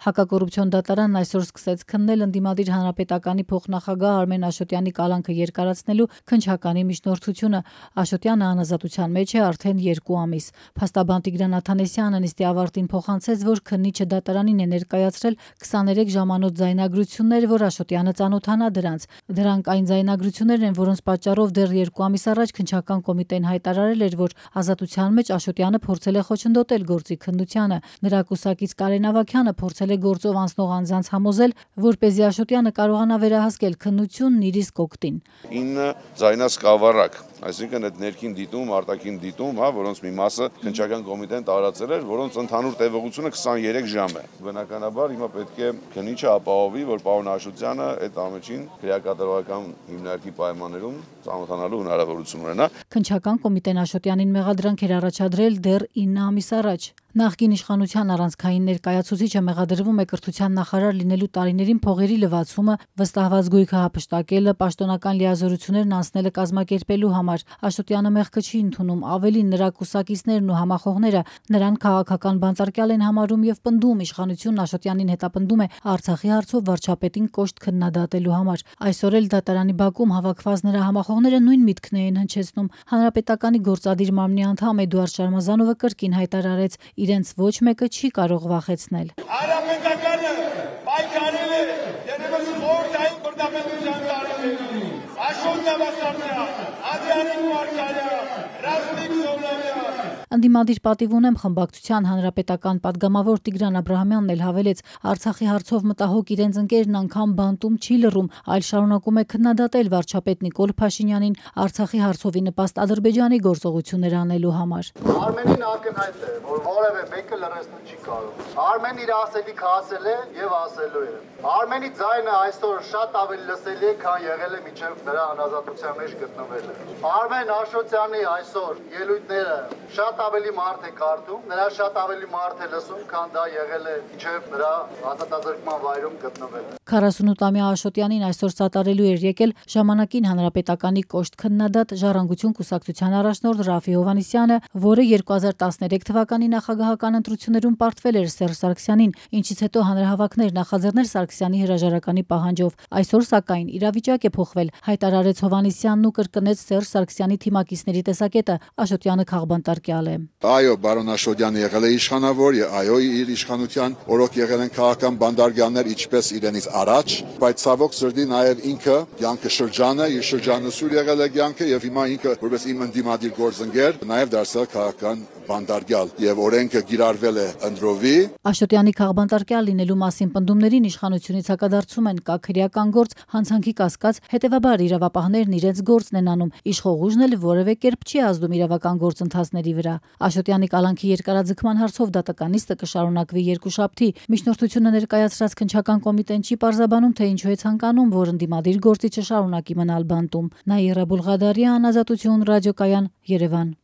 Հակակոռուպցիոն դատարանն այսօր սկսեց քննել ընդդիմադիր հանրապետականի փոխնախագահ Արմեն Աշոտյանի կալանքը երկարացնելու քննչականի միջնորդությունը։ Աշոտյանը անազատության մեջ է արդեն 2 ամիս։ Փաստաբան Տիգրան Աթանեսյանը նիստի ավարտին փոխանցեց, որ քննիչը դատարանին է ներկայացրել 23 ժամանոց ձայնագրություններ, որ Աշոտյանը ծանոթանա դրանց։ Դրանք այն ձայնագրություններն են, որոնց պատճառով դեռ 2 ամիս առաջ քննչական կոմիտեն հայտարարել էր, որ ազատության մեջ Աշոտյանը փորձել է խոչընդոտել գործի քննությանը։ Նրա կուսակից Կարեն Ավագյանը փորձել է գործով անցնող անձանց համոզել, որպեսզի Աշոտյանը կարողանա վերահասկել քննությունն իր իսկ օգտին։ 9 ձայնասկավառակ, այսինքն այդ ներքին դիտում, արտաքին դիտում, որոնց մի մասը քննչական կոմիտեն տարածել էր, որոնց ընդհանուր տևողությունը 23 ժամ է։ Բնականաբար հիմա պետք է քննիչը ապահովի, որ պարոն Աշոտյանը այդ ամենին քրեակատարողական հիմնարկի պայմաններում ծանոթանալու հնարավորություն ունենա։ Քննչական կոմիտեն Աշոտյանին մեղադրանք էր առաջադրել դեռ 9 ամիս առաջ։ Նախկին իշխանության առանցքային ներկայացուցիչը մեղադրվում է կրթության նախարար լինելու տարիներին փողերի լվացումը, վստահված գույքը հափշտակելը, պաշտոնական լիազորություններն անցնելը կազմակերպելու համար։ Աշոտյանը մեղքը չի ընդունում, ավելին նրա կուսակիցներն ու համախոհները նրան քաղաքական բանտարկյալ են համարում եւ պնդում իշխանությունն Աշոտյանին հետապնդում է Արցախի հարցով վարչապետին կոշտ քննադատելու համար։ Այսօր էլ դատարանի բակում հավաքված նրա համախոհները նույն միտքն էին հնչեցնում։ Հանրապետականի գործադիր մարմնի անդամ Էդուարդ Շարմազանովը կրկին հայտարարեց, իրենց ոչ մեկը չի կարող վախեցնել։ Հանրապետականը պայքարել է երևս խորհրդային բռնապետության տարիներին։ Աշոտ Նավասարդյան, Ադրյանիկ Մարգարյան, Ռազմիկ Սոլոմյան։ Ընդդիմադիր պատիվ ունեմ խմբակցության հանրապետական падգամավոր Տիգրան Աբրահամյանն էլ հավելեց, Արցախի հարցով մտահոգ իրենց ընկերն անգամ բանտում չի լռում, այլ շարունակում է քննադատել վարչապետ Նիկոլ Փաշինյանին Արցախի հարցովի նպաստ Ադրբեջանի գործողություններ անելու համար։ Արմենին ակնհայտ է, որ որևէ մեկը լրացնել չի կարող։ Արմենն իր ասելիքը ասել է եւ ասելու է։ Արմենի ձայնը այսօր շատ ավելի լսելի է, քան եղել է մինչև նրա անազատության մեջ գտնվելը։ Արմեն Աշոտյանի այսօր ելույթները շատ ավելի մարդ է կարդում, նրա շատ ավելի մարդ է լսում, քան դա եղել է մինչև նրա ազատազրկման վայրում գտնվելը։ 48-ամյա Աշոտյանին այսօր սատարելու էր եկել ժամանակին հանրապետականի կոշտ քննադատ Ժառանգություն կուսակցության առաջնորդ Ռաֆի Հովհաննիսյանը, որը 2013 թվականի նախագահական ընտրություններում պարտվել էր Սերժ Սարգսյանին, ինչից հետո հանրահավաքներ նախաձեռնել Սարգսյանի հրաժարականի պահանջով։ Այսօր սակայն իրավիճակ է փոխվել, հայտարարեց Հովհաննիսյանն ու կրկնեց Սերժ Սարգսյանի թիմակիցների տեսակետը, Աշոտյանը քաղբանտարկյալ է։ Այո, բարոն Աշոտյանը եղել է իշխանավոր, այո, իր իշխանության օրոք եղել են քաղաքական բանդարգյալներ ինչպես իրենից առաջ, բայց ցավոք սրտի նաև ինքը կյանքը շրջան է, իր շրջանասուր եղել է կյանքը եւ հիմա ինքը որպես իմ ընդդիմադիր գործընկեր նաև դարձել քաղաքական բանդարգյալ եւ օրենքը գիրառվել է ընդրովի։ Աշոտյանի քաղբանտարկյալ լինելու մասին պնդումներին իշխանությունից հակադարձում են կա քրեական գործ, հանցանքի կասկած, հետեւաբար իրավապահներն իրենց գործն են անում, իշխողուժն էլ որևէ կերպ չի ազդում իրավական գործընթացների վրա։ Աշոտյանի կալանքի երկարաձգման հարցով դատականիստը կշարունակվի երկուշաբթի։ Միջնորդությունը ներկայացրած քննչական կոմիտեն չի պարզաբանում, թե ինչու է ցանկանում, որ ընդդիմադիր գործիչը շարունակի մնալ բանտում։ Նաիրա Բուլղադարյան, Ազատություն ռադիոկայան, Երևան։